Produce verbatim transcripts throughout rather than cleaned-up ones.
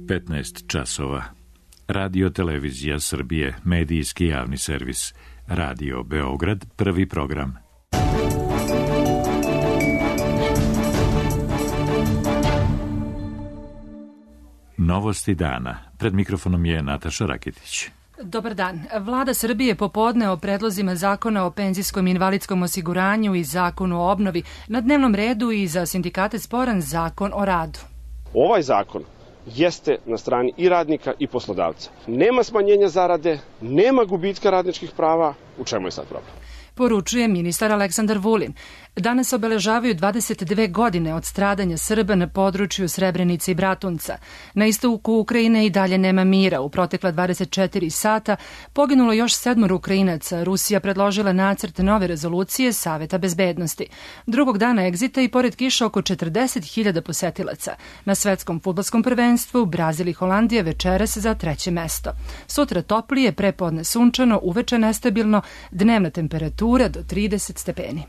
petnaest časova. Radio Televizija Srbije, medijski javni servis. Radio Beograd, prvi program. Novosti dana. Pred mikrofonom je Nataša Rakitić. Dobar dan. Vlada Srbije popodne o predlozima zakona o penzijskom i invalidskom osiguranju i zakonu o obnovi. Na dnevnom redu i za sindikate sporan zakon o radu. Ovaj zakon jeste na strani i radnika i poslodavca. Nema smanjenja zarade, nema gubitka radničkih prava. U čemu je sad problem? Poručuje ministar Aleksandar Vulin. Danas obeležavaju dvadeset dve godine od stradanja Srba na području Srebrenice i Bratunca. Na istoku Ukrajine i dalje nema mira. U protekla dvadeset četiri sata poginulo još sedmoro Ukrajinaca. Rusija predložila nacrt nove rezolucije Saveta bezbednosti. Drugog dana egzita i pored kiša oko četrdeset hiljada posetilaca. Na svetskom fudbalskom prvenstvu Brazil i Holandija večeras za treće mesto. Sutra toplije, prepodne sunčano, uveče nestabilno, dnevna temperatura do trideset stepeni.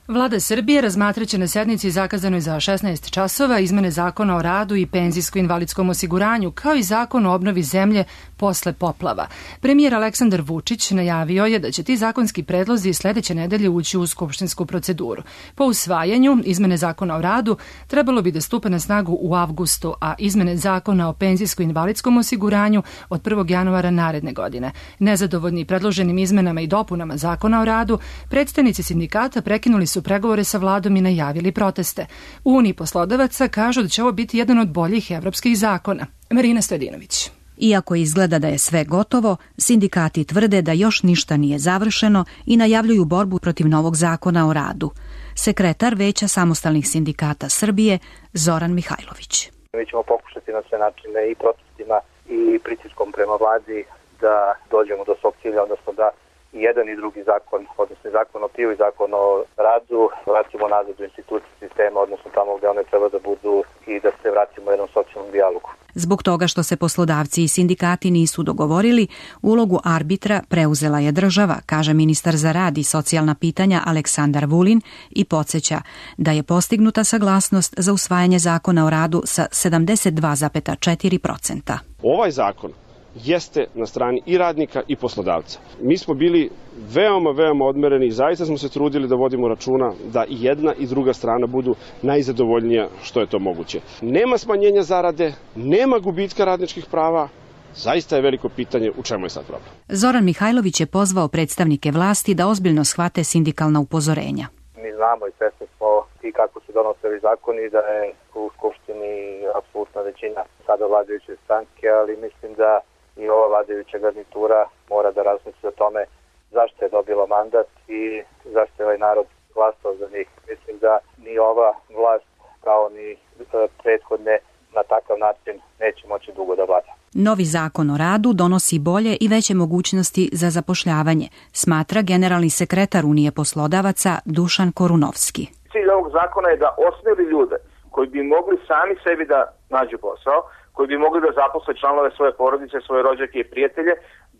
Vlada Srbije razmatraće na sednici zakazanoj za šesnaest časova izmene zakona o radu i penzijsko-invalidskom osiguranju, kao i zakon o obnovi zemlje posle poplava. Premijer Aleksandar Vučić najavio je da će ti zakonski predlozi sledeće nedelje ući u skupštinsku proceduru. Po usvajanju izmene zakona o radu trebalo bi da stupe na snagu u avgustu, a izmene zakona o penzijsko-invalidskom osiguranju od prvog januara naredne godine. Nezadovoljni predloženim izmenama i dopunama zakona o radu, predstavnici sindikata prekinuli su pregovore sa vladom i najavili proteste. U Uniji poslodavaca kažu da će ovo biti jedan od boljih evropskih zakona. Marina Stojadinović. Iako izgleda da je sve gotovo, sindikati tvrde da još ništa nije završeno i najavljuju borbu protiv novog zakona o radu. Sekretar Veća samostalnih sindikata Srbije Zoran Mihajlović. Mi ćemo pokušati na sve načine i protestima i pritiskom prema vladi da dođemo do svog cilja, odnosno da i jedan i drugi zakon, odnosno zakon o piju i zakon o radu, vratimo nazad u institucije sistema, odnosno tamo gde one treba da budu i da se vratimo u jednom socijalnom dijalogu. Zbog toga što se poslodavci i sindikati nisu dogovorili, ulogu arbitra preuzela je država, kaže ministar za rad i socijalna pitanja Aleksandar Vulin i podsjeća da je postignuta saglasnost za usvajanje zakona o radu sa sedamdeset dva zarez četiri posto. Ovaj zakon jeste na strani i radnika i poslodavca. Mi smo bili veoma, veoma odmereni i zaista smo se trudili da vodimo računa da i jedna i druga strana budu najzadovoljnija što je to moguće. Nema smanjenja zarade, nema gubitka radničkih prava. Zaista je veliko pitanje u čemu je sad problem. Zoran Mihajlović je pozvao predstavnike vlasti da ozbiljno shvate sindikalna upozorenja. Mi znamo i svesni smo i kako se donose ovi zakoni, da je u Skupštini apsolutna većina sada vladajuće stranke, ali mislim da i ova vladajuća garnitura mora da razmisli o tome zašto je dobila mandat i zašto je ovaj narod glasao za njih. Mislim da ni ova vlast kao ni prethodne na takav način neće moći dugo da vlada. Novi zakon o radu donosi bolje i veće mogućnosti za zapošljavanje, smatra generalni sekretar Unije poslodavaca Dušan Korunovski. Cilj ovog zakona je da osmeli ljude koji bi mogli sami sebi da nađu posao, koji bi mogli da zaposle članove svoje porodice, svoje rođake i prijatelje,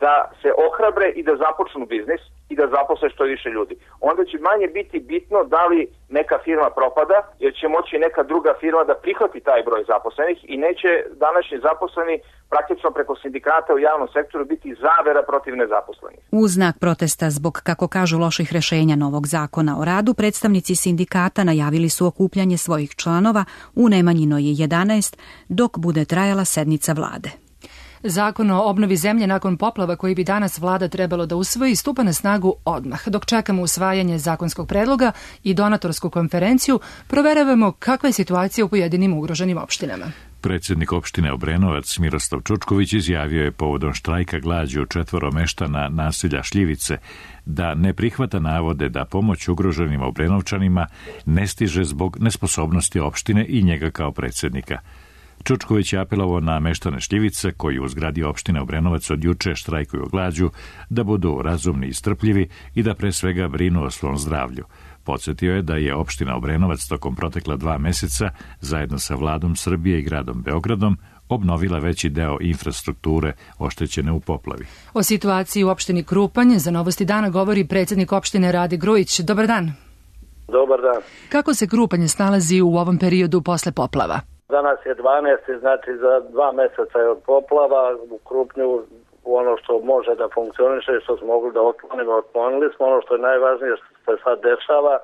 da se ohrabre i da započnu biznis i da zaposle što više ljudi. Onda će manje biti bitno da li neka firma propada, jer će moći neka druga firma da prihvati taj broj zaposlenih i neće današnji zaposleni praktično preko sindikata u javnom sektoru biti zavera protiv nezaposlenih. U znak protesta zbog, kako kažu, loših rešenja novog zakona o radu, predstavnici sindikata najavili su okupljanje svojih članova u Nemanjinoj jedanaest dok bude trajala sednica vlade. Zakon o obnovi zemlje nakon poplava koji bi danas vlada trebalo da usvoji stupa na snagu odmah. Dok čekamo usvajanje zakonskog predloga i donatorsku konferenciju, proveravamo kakva je situacija u pojedinim ugroženim opštinama. Predsjednik opštine Obrenovac Miroslav Čučković izjavio je povodom štrajka glađu četvoro meštana naselja Šljivice da ne prihvata navode da pomoć ugroženim Obrenovčanima ne stiže zbog nesposobnosti opštine i njega kao predsjednika. Čučković je apelovao na meštane Šljivice, koji u zgradi opštine Obrenovac od juče štrajkuju glađu, da budu razumni i strpljivi i da pre svega brinu o svom zdravlju. Podsjetio je da je opština Obrenovac tokom protekla dva meseca, zajedno sa vladom Srbije i gradom Beogradom, obnovila veći deo infrastrukture oštećene u poplavi. O situaciji u opštini Krupanj za Novosti dana govori predsjednik opštine Rade Grujić. Dobar dan. Dobar dan. Kako se Krupanj snalazi u ovom periodu posle poplava? Danas je dvanaesti, znači za dva meseca je od poplava. U Krupnju ono što može da funkcioniše, što smo mogli da otklonimo, otklonili smo. Ono što je najvažnije što se sad dešava,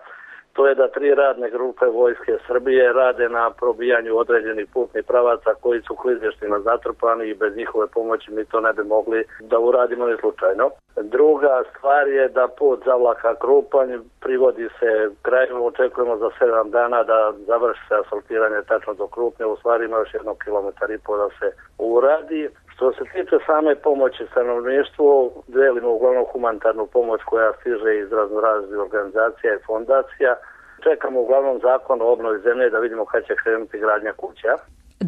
to je da tri radne grupe Vojske Srbije rade na probijanju određenih putnih pravaca koji su klizištima zatrpani i bez njihove pomoći mi to ne bi mogli da uradimo ni slučajno. Druga stvar je da put Zavlaka Krupanj privodi se kraju, očekujemo za sedam dana da završi se asfaltiranje tačno do Krupnja, u stvari ima još jedno kilometar i po da se uradi. Što se tiče same pomoći stanovništvu, delimo uglavnom humanitarnu pomoć koja stiže iz raznoraznih organizacija i fondacija. Čekamo uglavnom zakon o obnovi zemlje da vidimo kad će krenuti gradnja kuća.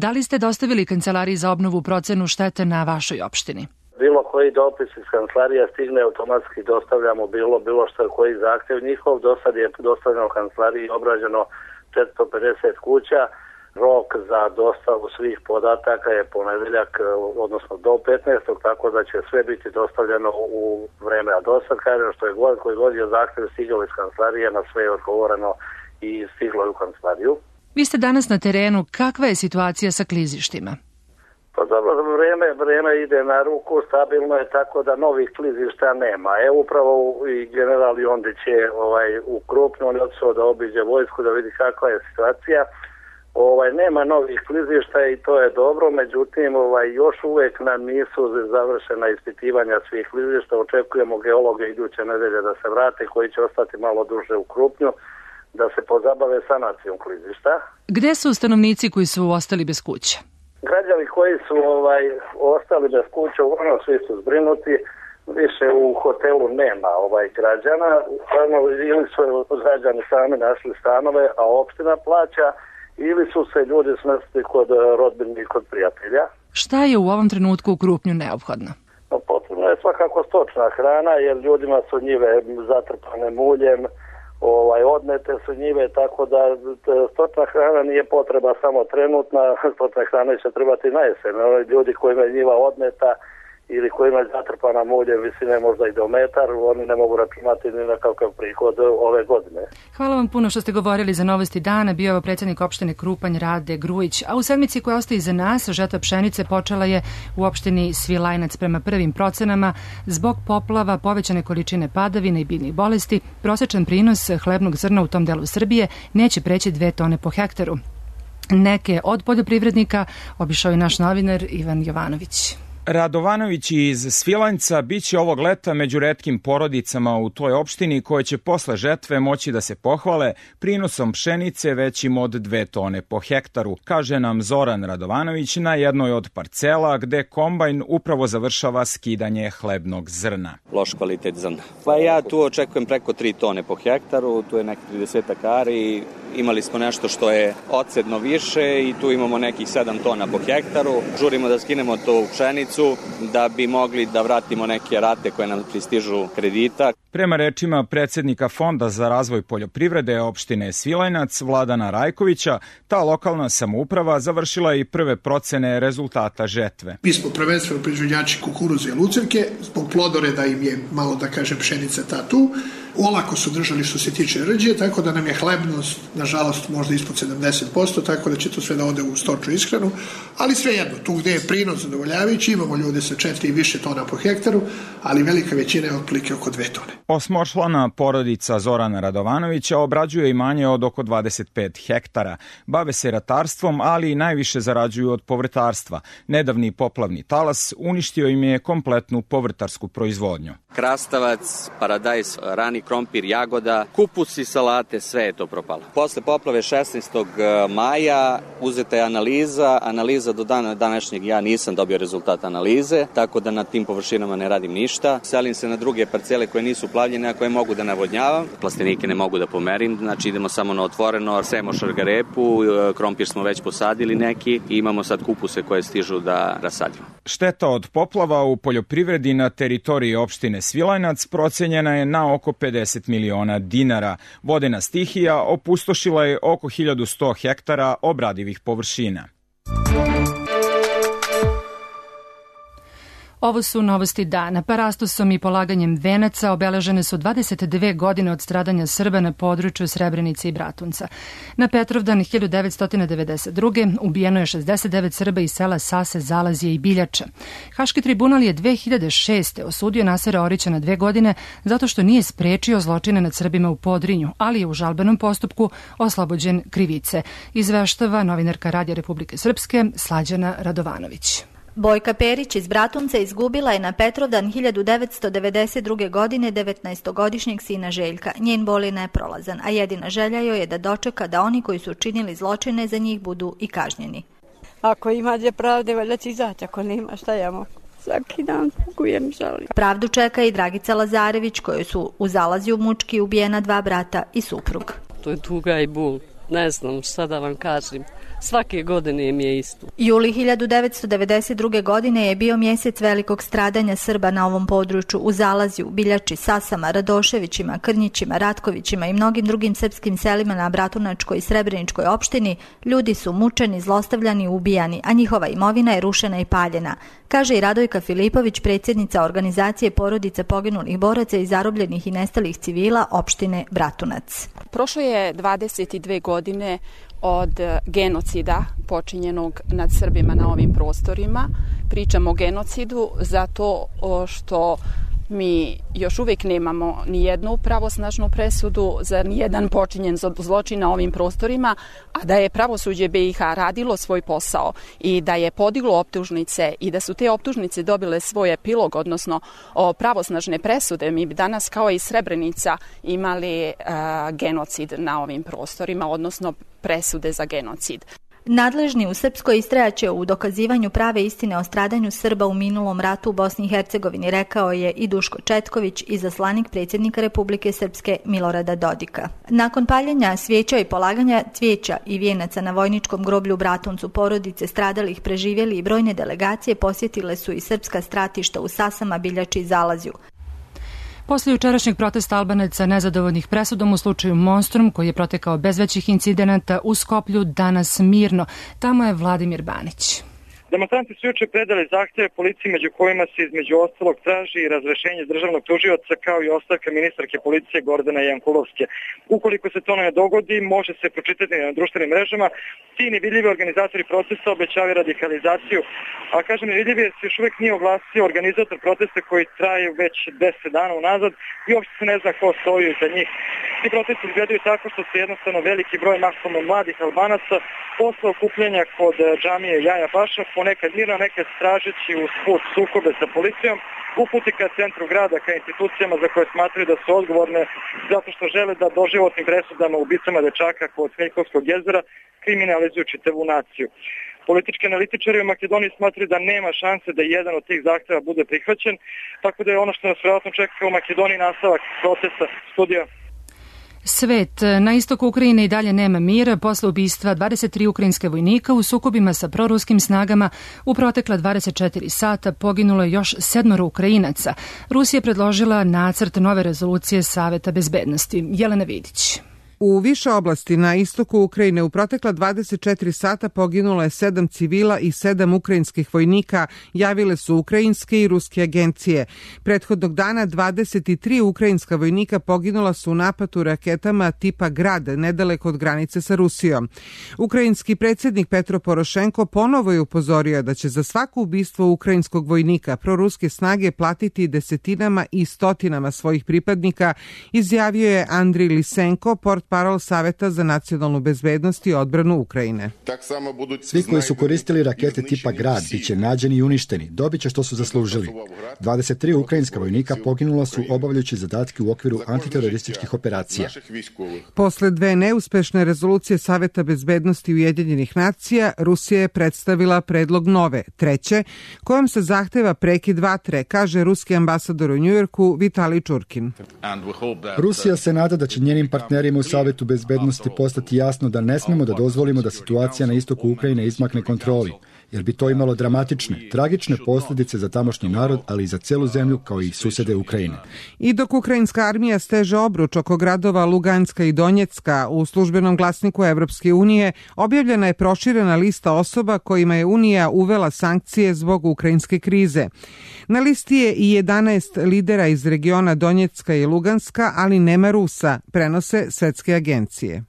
Da li ste dostavili Kancelariji za obnovu procenu štete na vašoj opštini? Bilo koji dopis iz kancelarija stigne, automatski dostavljamo bilo, bilo što je koji zahtjev njihov. Do sad je dostavljeno kancelariji i obrađeno četiristo pedeset kuća. Rok za dostavu svih podataka je ponedeljak, odnosno do petnaestog tako da će sve biti dostavljeno u vreme. A do sad, kažem, što je god koji god je zahtjev stigao iz kancelarije, na sve je odgovoreno i stiglo je u kancelariju. Vi ste danas na terenu, kakva je situacija sa klizištima? Pa dobro, vreme, vreme ide na ruku, stabilno je tako da novih klizišta nema. Evo upravo i general Jondić je ovaj, u Krupnju, on je otišao da obiđe vojsku, da vidi kakva je situacija. Ovaj, nema novih klizišta i to je dobro, međutim ovaj, još uvek nam nisu završena ispitivanja svih klizišta. Očekujemo geologe iduće nedelje da se vrate, koji će ostati malo duže u Krupnju, da se pozabave sanacijom klizišta. Gde su stanovnici koji su ostali bez kuće? Građani koji su ovaj, ostali bez kuće, uglavnom svi su zbrinuti. Više u hotelu nema ovaj građana. Ili su građani sami našli stanove, a opština plaća, ili su se ljudi smestili kod rodbine i kod prijatelja. Šta je u ovom trenutku u Krupnju neophodno? No, potrebno je svakako stočna hrana, jer ljudima su njive zatrpane muljem, ovaj, odnete su njive, tako da stočna hrana nije potreba samo trenutna, stočna hrana će trebati na jesen. Ljudi kojima je njiva odneta ili kojima je zatrpana muljem visine možda i do metar, oni ne mogu računati ni na kakav prihod ove godine. Hvala vam puno što ste govorili za Novosti dana. Bio je predsjednik opštine Krupanj Rade Grujić. A u sedmici koja ostaje iza nas, žetva pšenice počela je u opštini Svilajnac. Prema prvim procenama, zbog poplava, povećane količine padavina i biljnih bolesti, prosečan prinos hlebnog zrna u tom delu Srbije neće preći dve tone po hektaru. Neke od poljoprivrednika obišao je naš novinar Ivan Jovanović. Radovanović iz Svilajnca biće ovog leta među retkim porodicama u toj opštini koje će posle žetve moći da se pohvale prinosom pšenice većim od dve tone po hektaru, kaže nam Zoran Radovanović na jednoj od parcela gde kombajn upravo završava skidanje hlebnog zrna. Loš kvalitet zrna. Pa ja tu očekujem preko tri tone po hektaru, tu je neki trideset ari, imali smo nešto što je ocedno više i tu imamo nekih sedam tona po hektaru. Žurimo da skinemo to u pšenicu da bi mogli da vratimo neke rate koje nam pristižu kredita. Prema rečima predsjednika Fonda za razvoj poljoprivrede opštine Svilajnac Vladana Rajkovića, ta lokalna samouprava završila i prve procene rezultata žetve. Mi smo prvenstveno proizvođači kukuruza i lucirke, zbog plodoreda im je malo da kažem pšenica ta tu. Olako su držali što se tiče rđe, tako da nam je hlebnost, nažalost, možda ispod sedamdeset posto, tako da će to sve da ode u stočnu ishranu, ali svejedno, tu gde je prinos zadovoljavajući, imamo ljude sa četiri i više tona po hektaru, ali velika većina je otprilike oko dve tone. Osmočlana porodica Zorana Radovanovića obrađuje imanje od oko dvadeset pet hektara. Bave se ratarstvom, ali i najviše zarađuju od povrtarstva. Nedavni poplavni talas uništio im je kompletnu povrtarsku proizvodnju. Krastavac, paradajz, rani krompir, jagoda, kupus i salate, sve je to propalo. Posle poplave šesnaestog maja uzeta je analiza. Analiza do dana današnjeg ja nisam dobio rezultat analize, tako da na tim površinama ne radim ništa. Selim se na druge parcele koje nisu plavljene, a koje mogu da navodnjavam. Plastenike ne mogu da pomerim, znači idemo samo na otvoreno, sejemo šargarepu, krompir smo već posadili neki i imamo sad kupuse koje stižu da rasadimo. Šteta od poplava u poljoprivredi na teritoriji opštine Svilajnac procenjena je na oko pedeset miliona dinara. Vodena stihija opustošila je oko hiljadu sto hektara obradivih površina. Ovo su novosti dana. Parastosom i polaganjem venaca obeležene su dvadeset dve godine od stradanja Srba na području Srebrenice i Bratunca. Na Petrovdan hiljadu devetsto devedeset druge. ubijeno je šezdeset devet Srba iz sela Sase, Zalazije i Biljača. Haški tribunal je dve hiljade šeste. osudio Nasera Orića na dve godine zato što nije sprečio zločine nad Srbima u Podrinju, ali je u žalbenom postupku oslobođen krivice. Izveštava novinarka Radija Republike Srpske Slađana Radovanović. Bojka Perić iz Bratunca izgubila je na Petrovdan hiljadu devetsto devedeset druge. godine devetnaestogodišnjeg sina Željka. Njen bol je neprolazan, a jedina želja joj je da dočeka da oni koji su činili zločine za njih budu i kažnjeni. Ako ima gdje pravde, valjda će izaći, ako nema, šta ja mogu? Svaki dan kujem žalim. Pravdu čeka i Dragica Lazarević, kojoj su u Zalaziju mučki ubijena dva brata i suprug. To je tuga i bol. Ne znam šta da vam kažem. Svake godine mi je isto. Juli hiljadu devetsto devedeset druge. godine je bio mjesec velikog stradanja Srba na ovom području u Zalaziju, Biljači, Sasama, Radoševićima, Krnjićima, Ratkovićima i mnogim drugim srpskim selima na Bratunačkoj i Srebreničkoj opštini. Ljudi su mučeni, zlostavljani, ubijani, a njihova imovina je rušena i paljena, kaže i Radojka Filipović, predsjednica organizacije porodica poginulih boraca i zarobljenih i nestalih civila opštine Bratunac. Prošlo je dvadeset dve godine od genocida počinjenog nad Srbima na ovim prostorima. Pričamo o genocidu zato što mi još uvijek nemamo ni jednu pravosnažnu presudu za nijedan počinjen zločin na ovim prostorima, a da je pravosuđe B i H radilo svoj posao i da je podiglo optužnice i da su te optužnice dobile svoj epilog, odnosno pravosnažne presude, mi bi danas kao i Srebrenica imali uh, genocid na ovim prostorima, odnosno presude za genocid. Nadležni u Srpskoj istrajaće u dokazivanju prave istine o stradanju Srba u minulom ratu u Bosni i Hercegovini, rekao je i Duško Četković, izaslanik predsjednika Republike Srpske Milorada Dodika. Nakon paljenja svijeća i polaganja cvijeća i vijenaca na vojničkom groblju u Bratuncu, porodice stradalih, preživjeli i brojne delegacije posjetile su i srpska stratišta u Sasama, Biljači i Zalaziju. Posle jučerašnjeg protesta Albanaca nezadovoljnih presudom u slučaju Monstrum, koji je protekao bez većih incidenata u Skoplju, danas mirno. Tamo je Vladimir Banić. Demonstranti su juče predali zahtjeve policiji, među kojima se između ostalog traži i razrešenje državnog tužioca kao i ostavka ministarke policije Gordana Jankulovske. Ukoliko se to ne dogodi, može se pročitati na društvenim mrežama. Ti nevidljivi organizatori protesta obećavaju radikalizaciju, a kažem nevidljivi jer se još uvijek nije oglasio organizator protesta koji traje već deset dana unazad i uopšte se ne zna ko stoji iza njih. Ti protesti izgledaju tako što se jednostavno veliki broj mahom mladih Albanaca posle okupljanja kod džamije Jaja Baša, ponekad mirno, nekad stražeći uz put sukobe sa policijom, uputi ka centru grada, ka institucijama za koje smatraju da su odgovorne zato što žele da doživotnim presudama ubicama dečaka kod Smeljkovskog jezera kriminalizuju čitavu naciju. Politički analitičari u Makedoniji smatraju da nema šanse da jedan od tih zahtjeva bude prihvaćen, tako da je ono što nas vjerojatno čeka u Makedoniji nastavak protesta. Studija. Svet. Na istoku Ukrajine i dalje nema mira posle ubistva dvadeset tri ukrajinske vojnika u sukobima sa proruskim snagama. U protekla dvadeset četiri sata poginulo je još sedmoro Ukrajinaca. Rusija je predložila nacrt nove rezolucije Saveta bezbednosti. Jelena Vidić. U više oblasti na istoku Ukrajine u protekla dvadeset četiri sata poginulo je sedam civila i sedam ukrajinskih vojnika, javile su ukrajinske i ruske agencije. Prethodnog dana dvadeset tri ukrajinska vojnika poginula su u napadu raketama tipa Grad, nedaleko od granice sa Rusijom. Ukrajinski predsjednik Petro Porošenko ponovo je upozorio da će za svako ubistvo ukrajinskog vojnika proruske snage platiti desetinama i stotinama svojih pripadnika, izjavio je Andrij Lisenko, port parol Saveta za nacionalnu bezbednost i odbranu Ukrajine. Svi koji su koristili rakete tipa Grad biće nađeni i uništeni, dobit će što su zaslužili. dvadeset tri ukrajinska vojnika poginula su obavljajući zadatke u okviru antiterorističkih operacija. Posle dve neuspešne rezolucije Saveta bezbednosti Ujedinjenih nacija, Rusija je predstavila predlog nove, treće, kojom se zahteva prekid vatre, kaže ruski ambasador u Njujorku Vitalij Čurkin. Rusija se nada da će njenim partnerima u Savetu bezbednosti postati jasno da ne smemo da dozvolimo da situacija na istoku Ukrajine izmakne kontroli, jer bi to imalo dramatične, tragične posljedice za tamošnji narod, ali i za celu zemlju kao i susede Ukrajine. I dok ukrajinska armija steže obruč oko gradova Luganska i Donjecka, u službenom glasniku Evropske unije objavljena je proširena lista osoba kojima je Unija uvela sankcije zbog ukrajinske krize. Na listi je i jedanaest lidera iz regiona Donjecka i Luganska, ali nema Rusa, prenose svetske agencije.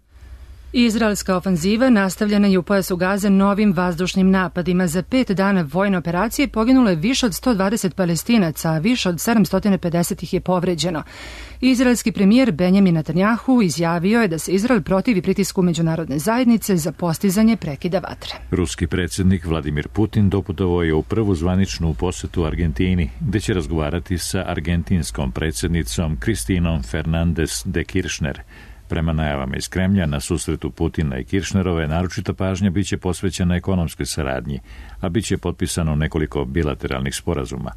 Izraelska ofanziva nastavljena je u pojasu Gaze novim vazdušnim napadima. Za pet dana vojne operacije poginulo je više od sto dvadeset Palestinaca, a više od sedamsto pedeset ih je povređeno. Izraelski premijer Benjamin Netanjahu izjavio je da se Izrael protivi pritisku međunarodne zajednice za postizanje prekida vatre. Ruski predsjednik Vladimir Putin doputovao je u prvu zvaničnu posetu Argentini, gde će razgovarati sa argentinskom predsjednicom Kristinom Fernandez de Kirchner. Prema najavama iz Kremlja, na susretu Putina i Kirchnerove naročita pažnja biće posvećena ekonomskoj saradnji, a biće potpisano nekoliko bilateralnih sporazuma.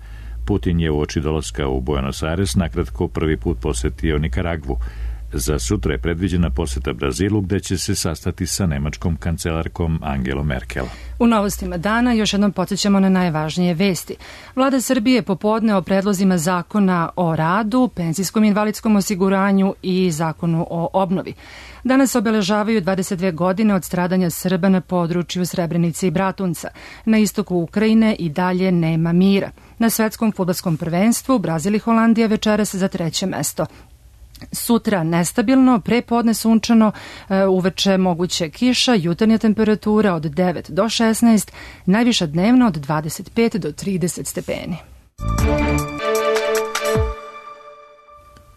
Putin je uoči dolaska u Buenos Aires nakratko prvi put posetio Nikaragvu. Za sutra je predviđena poseta Brazilu, gde će se sastati sa nemačkom kancelarkom Angelom Merkel. U novostima dana još jednom podsjećamo na najvažnije vesti. Vlada Srbije popodne o predlozima zakona o radu, penzijskom i invalidskom osiguranju i zakonu o obnovi. Danas obeležavaju dvadeset dve godine od stradanja Srba na području Srebrenice i Bratunca. Na istoku Ukrajine i dalje nema mira. Na svetskom fudbalskom prvenstvu Brazil i Holandija večeras za treće mesto. Sutra nestabilno, pre podne sunčano, uveče moguće kiša, jutarnja temperatura od devet do šesnaest, najviša dnevno od dvadeset pet do trideset stepeni.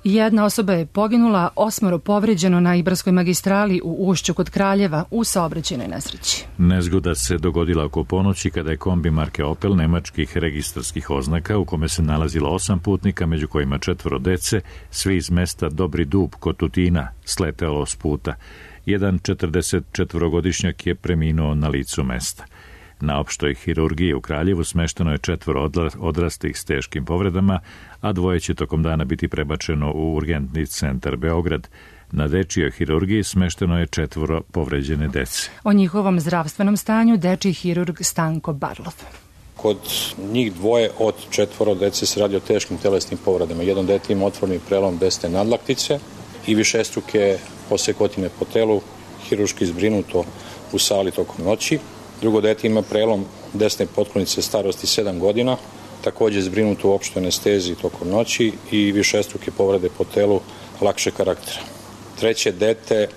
Jedna osoba je poginula, osmoro povređeno na Ibarskoj magistrali u Ušću kod Kraljeva u saobraćajnoj nesreći. Nezgoda se dogodila oko ponoći kada je kombi marke Opel nemačkih registarskih oznaka u kome se nalazilo osam putnika, među kojima četvoro dece, svi iz mesta Dobri Dub kod Tutina, sletelo s puta. Jedan četrdesetčetvorogodišnjak je preminuo na licu mesta. Na opštoj hirurgiji u Kraljevu smešteno je četvoro odraslih s teškim povredama, a dvoje će tokom dana biti prebačeno u urgentni centar Beograd. Na dečijoj hirurgiji smešteno je četvoro povređene dece. O njihovom zdravstvenom stanju dečiji hirurg Stanko Barlov. Kod njih dvoje od četvoro dece se radi o teškim telesnim povredama. Jedan dete ima otvorni prelom desne nadlaktice i višestruke posekotine po telu, hirurški zbrinuto u sali tokom noći. Drugo dete ima prelom desne potklonice starosti sedam godina, takođe zbrinuto u opštoj anesteziji tokom noći i višestruke povrede po telu lakše karaktera. Treće dete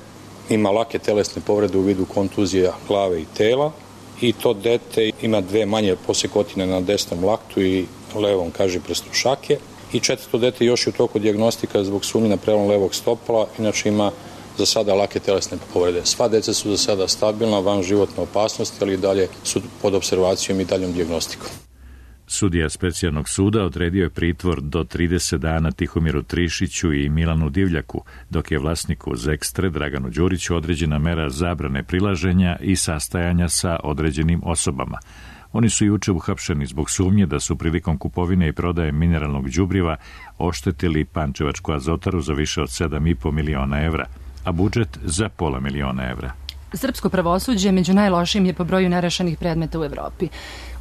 ima lake telesne povrede u vidu kontuzija glave i tela i to dete ima dve manje posekotine na desnom laktu i levom kažiprstu šake. I četvrto dete još je u toku dijagnostika zbog sumnje na prelom levog stopala, inače ima za sada lake telesne povrede. Sva deca su za sada stabilna, van životne opasnosti, ali i dalje su pod observacijom i daljom dijagnostikom. Sudija specijalnog suda odredio je pritvor do trideset dana Tihomiru Trišiću i Milanu Divljaku, dok je vlasniku Zekstre Draganu Đuriću određena mera zabrane prilaženja i sastajanja sa određenim osobama. Oni su juče uhapšeni zbog sumnje da su prilikom kupovine i prodaje mineralnog đubriva oštetili Pančevačku azotaru za više od sedam i po miliona evra, a budžet za pola miliona evra. Srpsko pravosuđe među najlošijim je po broju nerešenih predmeta u Evropi.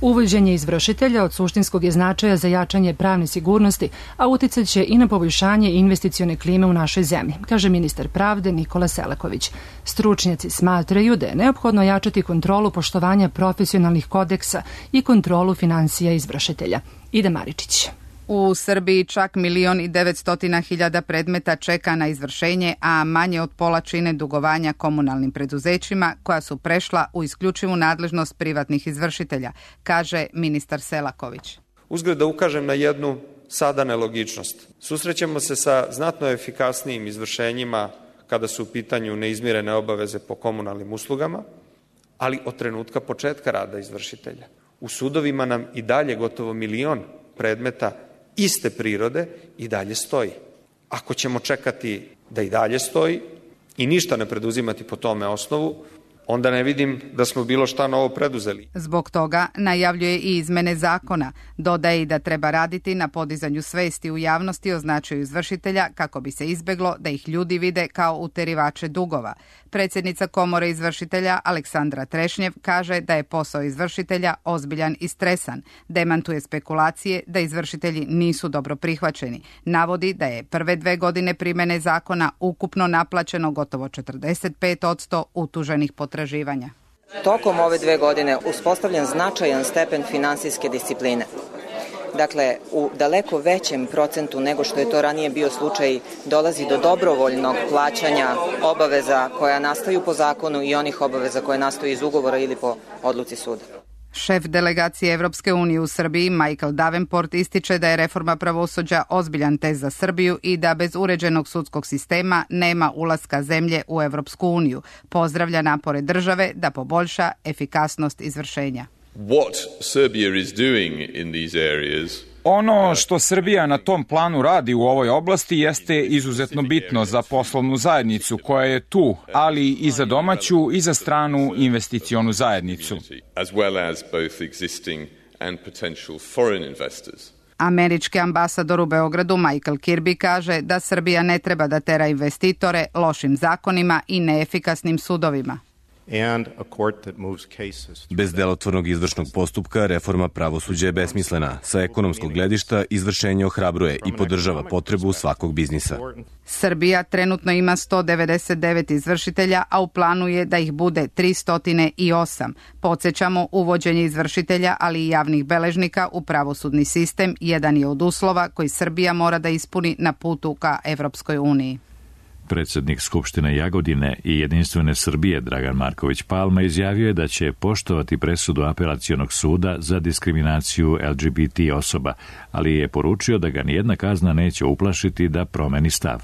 Uvođenje izvršitelja od suštinskog je značaja za jačanje pravne sigurnosti, a uticat će i na poboljšanje investicione klime u našoj zemlji, kaže ministar pravde Nikola Selaković. Stručnjaci smatraju da je neophodno jačati kontrolu poštovanja profesionalnih kodeksa i kontrolu finansija izvršitelja. Ida Maričić. U Srbiji čak milion i devetstotina hiljada predmeta čeka na izvršenje, a manje od pola čine dugovanja komunalnim preduzećima koja su prešla u isključivu nadležnost privatnih izvršitelja, kaže ministar Selaković. Uzgled da ukažem na jednu sada nelogičnost. Susrećemo se sa znatno efikasnijim izvršenjima kada su u pitanju neizmirene obaveze po komunalnim uslugama, ali od trenutka početka rada izvršitelja. U sudovima nam i dalje gotovo milion predmeta iste prirode i dalje stoji. Ako ćemo čekati da i dalje stoji i ništa ne preduzimati po tome osnovu, onda ne vidim da smo bilo šta novo preduzeli. Zbog toga najavljuje i izmene zakona. Dodaje i da treba raditi na podizanju svesti u javnosti o značaju izvršitelja kako bi se izbeglo da ih ljudi vide kao uterivače dugova. Predsjednica Komore izvršitelja Aleksandra Trešnjev kaže da je posao izvršitelja ozbiljan i stresan. Demantuje spekulacije da izvršitelji nisu dobro prihvaćeni. Navodi da je prve dve godine primjene zakona ukupno naplaćeno gotovo četrdeset pet posto utuženih potraživanja. Tokom ove dve godine uspostavljen značajan stepen finansijske discipline. Dakle, u daleko većem procentu nego što je to ranije bio slučaj dolazi do dobrovoljnog plaćanja obaveza koja nastaju po zakonu i onih obaveza koje nastaju iz ugovora ili po odluci suda. Šef delegacije Evropske unije u Srbiji Michael Davenport ističe da je reforma pravosuđa ozbiljan test za Srbiju i da bez uređenog sudskog sistema nema ulaska zemlje u Evropsku uniju. Pozdravlja napore države da poboljša efikasnost izvršenja. What Serbia is doing in these areas Ono što Srbija na tom planu radi u ovoj oblasti jeste izuzetno bitno za poslovnu zajednicu koja je tu, ali i za domaću i za stranu investicionu zajednicu. as well as both existing and potential foreign investors. Američki ambasador u Beogradu Michael Kirby kaže da Srbija ne treba da tera investitore lošim zakonima i neefikasnim sudovima. Bez delotvornog izvršnog postupka reforma pravosuđa je besmislena. Sa ekonomskog gledišta izvršenje ohrabruje i podržava potrebu svakog biznisa. Srbija trenutno ima sto devedeset devet izvršitelja, a u planu je da ih bude tristo osam. Podsjećamo, uvođenje izvršitelja, ali i javnih beležnika u pravosudni sistem jedan je od uslova koji Srbija mora da ispuni na putu ka Evropskoj uniji. Predsjednik Skupštine Jagodine i Jedinstvene Srbije Dragan Marković Palma izjavio je da će poštovati presudu apelacionog suda za diskriminaciju L G B T osoba, ali je poručio da ga nijedna kazna neće uplašiti da promeni stav.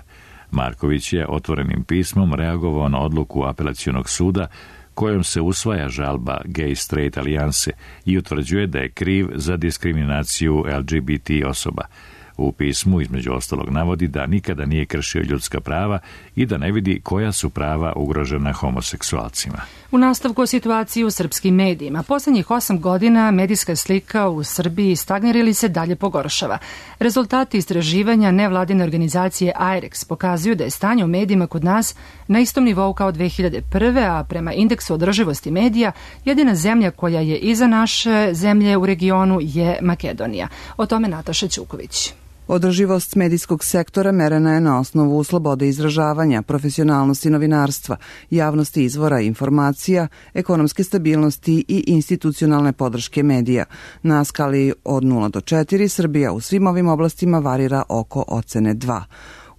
Marković je otvorenim pismom reagovao na odluku apelacionog suda kojom se usvaja žalba Gay-Straight alijanse i utvrđuje da je kriv za diskriminaciju L G B T osoba. U pismu između ostalog navodi da nikada nije kršio ljudska prava i da ne vidi koja su prava ugrožena homoseksualcima. U nastavku o situaciji u srpskim medijima. Poslednjih osam godina medijska slika u Srbiji stagnira ili se dalje pogoršava. Rezultati istraživanja nevladine organizacije A I R E X pokazuju da je stanje u medijima kod nas na istom nivou kao dve hiljade prve. a prema indeksu održivosti medija jedina zemlja koja je iza naše zemlje u regionu je Makedonija. O tome Nataša Ćuković. Održivost medijskog sektora merena je na osnovu slobode izražavanja, profesionalnosti novinarstva, javnosti izvora informacija, ekonomske stabilnosti i institucionalne podrške medija. Na skali od nula do četiri Srbija u svim ovim oblastima varira oko ocene dva.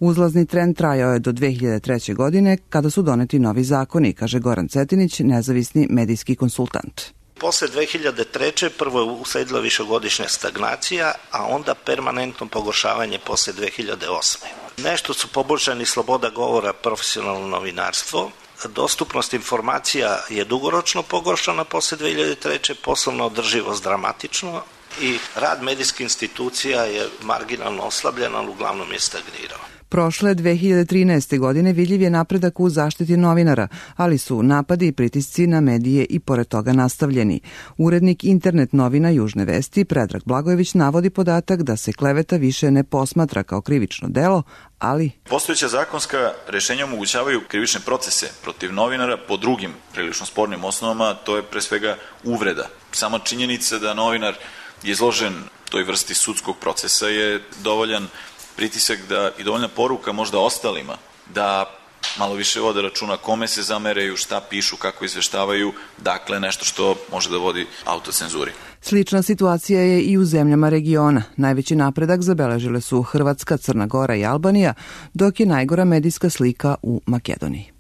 Uzlazni trend trajao je do dve hiljade treće. godine kada su doneti novi zakoni, kaže Goran Cetinić, nezavisni medijski konsultant. Posle dve hiljade treće. prvo je usledila višegodišnja stagnacija, a onda permanentno pogoršavanje posle dve hiljade osme. Nešto su poboljšani sloboda govora, profesionalno novinarstvo, dostupnost informacija je dugoročno pogoršana posle dve hiljade treće. Poslovna održivost dramatično i rad medijskih institucija je marginalno oslabljen, ali uglavnom je stagnirao. Prošle dve hiljade trinaeste. godine vidljiv je napredak u zaštiti novinara, ali su napadi i pritisci na medije i pored toga nastavljeni. Urednik internet novina Južne vesti Predrag Blagojević navodi podatak da se kleveta više ne posmatra kao krivično delo, ali... Postojeća zakonska rešenja omogućavaju krivične procese protiv novinara po drugim prilično spornim osnovama, to je pre svega uvreda. Sama činjenica da novinar je izložen toj vrsti sudskog procesa je dovoljan pritisak da i dovoljna poruka možda ostalima da malo više vode računa kome se zameraju, šta pišu, kako izveštavaju, dakle nešto što može da vodi autocenzuri. Slična situacija je i u zemljama regiona. Najveći napredak zabeležile su Hrvatska, Crna Gora i Albanija, dok je najgora medijska slika u Makedoniji.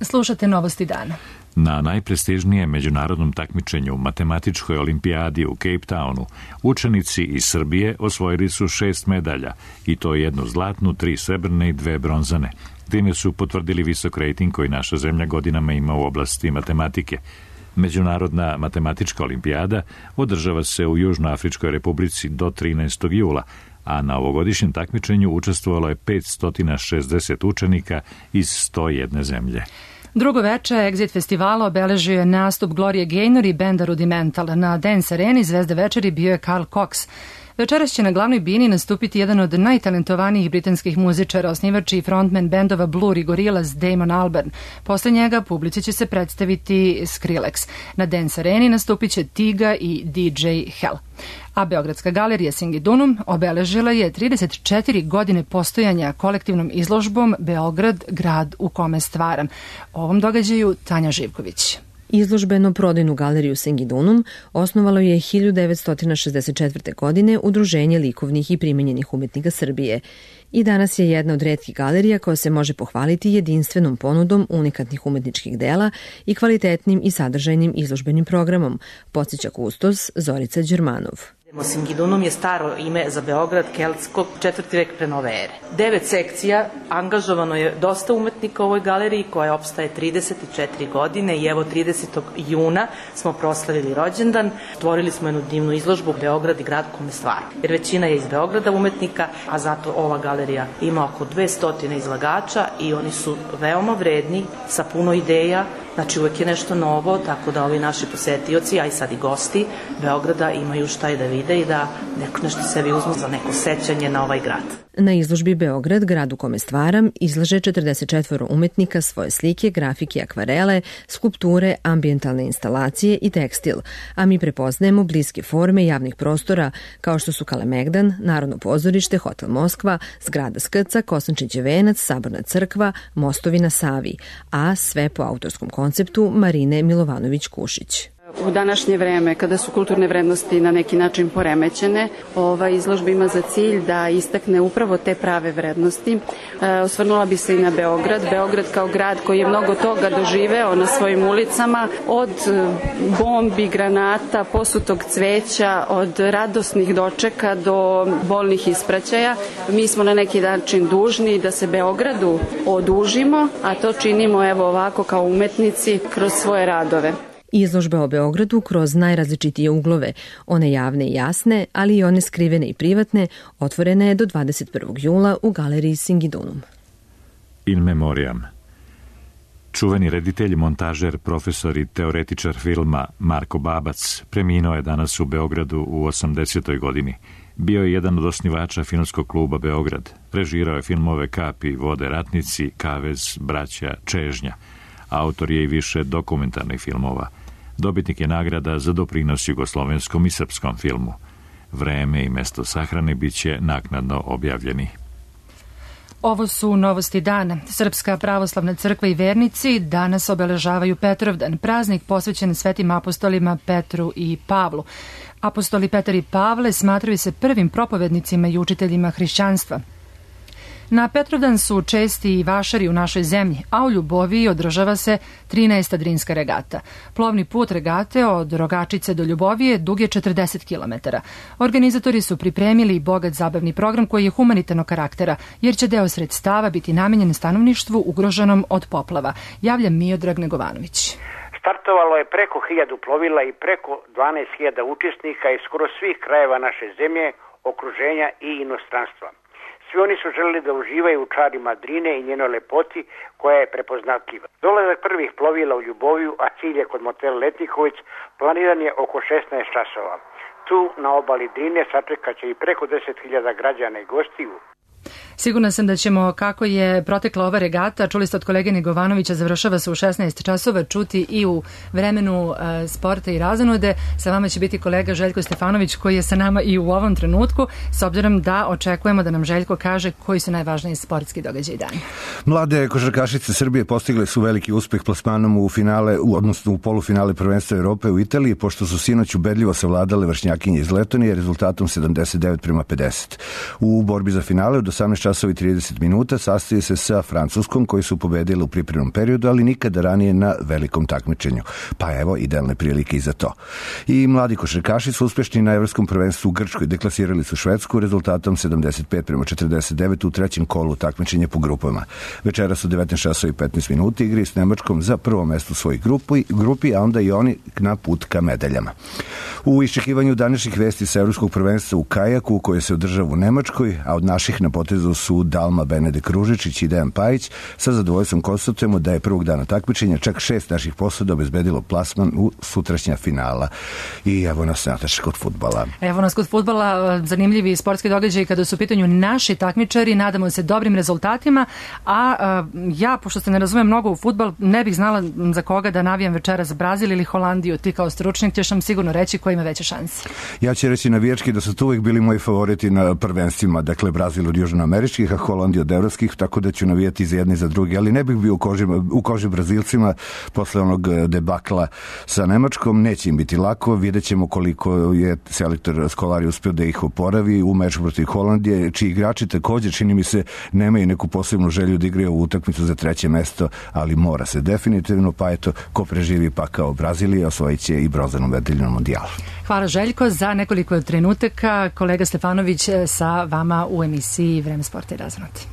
Slušate Novosti dana. Na najprestižnijem međunarodnom takmičenju u matematičkoj olimpijadi u Cape Townu učenici iz Srbije osvojili su šest medalja, i to jednu zlatnu, tri srebrne i dve bronzane. Time su potvrdili visok rejting koji naša zemlja godinama ima u oblasti matematike. Međunarodna matematička olimpijada održava se u Južnoafričkoj republici do trinaestog jula, a na ovogodišnjem takmičenju učestvovalo je petsto šezdeset učenika iz sto jedne zemlje. Drugo veče Exit festivala obeležio je nastup Glorie Gaynor i benda Rudimental. Na Dance Areni zvezda večeri bio je Carl Cox. Večeras će na glavnoj bini nastupiti jedan od najtalentovanijih britanskih muzičara, osnivač i frontman bendova Blur i Gorillaz Damon Albarn. Posle njega publici će se predstaviti Skrillex. Na Dance Areni nastupit će Tiga i D J Hell. A Beogradska galerija Singidunum obeležila je trideset četiri godine postojanja kolektivnom izložbom Beograd, grad u kome stvaram. O ovom događaju Tanja Živković. Izložbeno-prodajnu galeriju Singidunum osnovalo je hiljadu devetsto šezdeset četvrte. godine Udruženje likovnih i primenjenih umetnika Srbije i danas je jedna od retkih galerija koja se može pohvaliti jedinstvenom ponudom unikatnih umetničkih dela i kvalitetnim i sadržajnim izložbenim programom, podsjeća kustos Zorica Đermanov. Singidunum je staro ime za Beograd keltskog četvrti vek pre nove ere. Devet sekcija, angažovano je dosta umetnika u ovoj galeriji koja opstaje trideset četiri godine i evo tridesetog juna smo proslavili rođendan. Otvorili smo jednu divnu izložbu Beograd i grad u kome stvaram. Jer većina je iz Beograda umetnika, a zato ova galerija ima oko dvesta izlagača i oni su veoma vredni, sa puno ideja. Znači uvek je nešto novo, tako da ovi naši posetioci, a i sad i gosti Beograda imaju šta i da vide i da neko nešto sebi uzmu za neko sećanje na ovaj grad. Na izložbi Beograd, grad u kome stvaram, izlaže četrdeset četiri umetnika svoje slike, grafike, akvarele, skulpture, ambijentalne instalacije i tekstil, a mi prepoznajemo bliske forme javnih prostora kao što su Kalemegdan, Narodno pozorište, Hotel Moskva, zgrada Skrca, Kosančićev venac, Saborna crkva, mostovi na Savi, a sve po autorskom konceptu Marine Milovanović-Kušić. U današnje vreme, kada su kulturne vrednosti na neki način poremećene, ova izložba ima za cilj da istakne upravo te prave vrednosti. E, osvrnula bi se i na Beograd. Beograd kao grad koji je mnogo toga doživeo na svojim ulicama, od bombi, granata, posutog cveća, od radosnih dočeka do bolnih ispraćaja. Mi smo na neki način dužni da se Beogradu odužimo, a to činimo evo ovako kao umetnici kroz svoje radove. Izložba o Beogradu kroz najrazličitije uglove, one javne i jasne, ali i one skrivene i privatne, otvorena je do dvadeset prvog jula u galeriji Singidunum. In memoriam. Čuveni reditelj, montažer, profesor i teoretičar filma Marko Babac preminuo je danas u Beogradu u osamdesetoj godini. Bio je jedan od osnivača filmskog kluba Beograd. Režirao je filmove Kapi, Vode ratnici, Kavez, Braća, Čežnja. Autor je i više dokumentarnih filmova. Dobitnik je nagrada za doprinos jugoslovenskom i srpskom filmu. Vreme i mesto sahrane biće naknadno objavljeni. Ovo su novosti dana. Srpska pravoslavna crkva i vernici danas obeležavaju Petrovdan, praznik posvećen svetim apostolima Petru i Pavlu. Apostoli Petar i Pavle smatraju se prvim propovednicima i učiteljima hrišćanstva. Na Petrovdan su česti i vašari u našoj zemlji, a u Ljuboviji održava se trinaesta Drinska regata. Plovni put regate od Rogačice do Ljubovije dug je četrdeset kilometara. Organizatori su pripremili bogat zabavni program koji je humanitarnog karaktera, jer će deo sredstava biti namenjen stanovništvu ugroženom od poplava, javlja Miodrag Negovanović. Startovalo je preko hiljadu plovila i preko dvanaest hiljada učesnika iz skoro svih krajeva naše zemlje, okruženja i inostranstva. Svi oni su želeli da uživaju u čarima Drine i njenoj lepoti koja je prepoznatljiva. Dolazak prvih plovila u Ljuboviju, a cilj je kod motela Letniković, planiran je oko šesnaest časova. Tu na obali Drine sačekat će i preko deset hiljada građana i gostiju. Sigurna sam da ćemo, kako je protekla ova regata, čuli ste od kolege Negovanovića, završava se u šesnaest časova, čuti i u vremenu e, sporta i razonude. Sa vama će biti kolega Željko Stefanović koji je sa nama i u ovom trenutku, s obzirom da očekujemo da nam Željko kaže koji su najvažniji sportski događaji dana. Mlade košarkašice Srbije postigle su veliki uspeh plasmanom u finale, odnosno u polufinale prvenstva Evrope u Italiji, pošto su sinoć ubedljivo savladale vršnjakinje iz Letonije rezultatom sedamdeset devet prema pedeset. U borbi za finale od osamnaest časova i trideset minuta sastaje se sa Francuskom, koji su pobedili u pripremnom periodu, ali nikada ranije na velikom takmičenju. Pa evo, idealne prilike i za to. I mladi košarkaši su uspešni na evropskom prvenstvu u Grčkoj. Deklasirali su Švedsku rezultatom sedamdeset pet prema četrdeset devet u trećem kolu takmičenja po grupama. Večeras u devetnaest časova i petnaest minuta igri s Nemačkom za prvo mesto u svojoj grupi, grupi, a onda i oni na put ka medaljama. U iščekivanju današnjih vesti sa evropskog prvenstva u kajaku, koje se održava u Nemačkoj, a od naših na potezu su Dalma Benedek Ružičić i Dejan Pajić, sa zadovoljstvom konstatujemo da je prvog dana takmičenja čak šest naših posada obezbedilo plasman u sutrašnja finala. I evo nas, Nataša, kod fudbala. Evo nas kod fudbala, zanimljivi sportski događaj kada su u pitanju naši takmičari, nadamo se dobrim rezultatima, a, a ja, pošto se ne razumem mnogo u fudbal, ne bih znala za koga da navijam večeras, Brazil ili Holandiju. Ti kao stručnik ćeš nam sigurno reći ko ima veće šanse. Ja ću reći navijački da su tu uvijek bili moji favoriti na prvenstvima, dakle Brazil od južnoameričkih, a Holandija od evropskih, tako da ću navijati za jedni i za drugi, ali ne bih bio u koži, u koži Brazilcima posle onog debakla sa Nemačkom. Neće im biti lako, vidjet ćemo koliko je selektor Skolari uspio da ih oporavi u meču protiv Holandije, čiji igrači također, čini mi se, nemaju neku posebnu želju da igraju u utakmicu za treće mesto, ali mora se definitivno, pa eto, ko preživi pa kao Brazilija, osvojit će i bronzanu medalju na mondijalu. Hvala Željko, za nekoliko trenutaka kolega Stefanović sa vama u emisiji Vreme sporta i razonoti.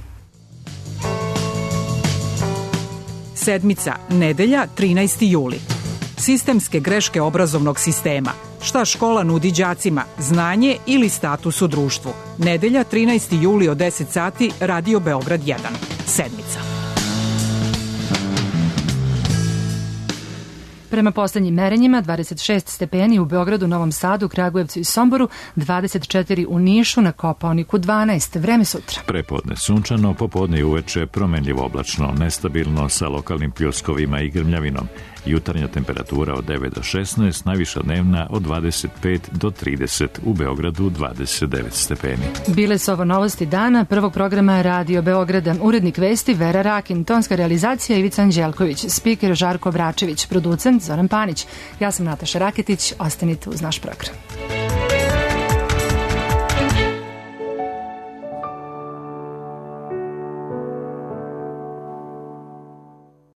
Sedmica, nedelja, trinaesti juli. Sistemske greške obrazovnog sistema. Šta škola nudi đacima, znanje ili status u društvu? Nedelja, trinaesti juli od deset sati, Radio Beograd jedan. Sedmica. Prema poslednjim merenjima, dvadeset šest stepeni u Beogradu, Novom Sadu, Kragujevcu i Somboru, dvadeset četiri u Nišu, na Kopaoniku dvanaest. Vreme sutra. Prepodne sunčano, popodne i uveče promenljivo oblačno, nestabilno sa lokalnim pljuskovima i grmljavinom. Jutarnja temperatura od devet do šesnaest, najviša dnevna od dvadeset pet do trideset, u Beogradu dvadeset devet stepeni. Bile su ovo novosti dana prvog programa Radio Beograda. Urednik vesti Vera Rakin, tonska realizacija Ivica Anđelković, spiker Žarko Bračević, producent Zoran Panić. Ja sam Nataša Raketić, ostanite uz naš program.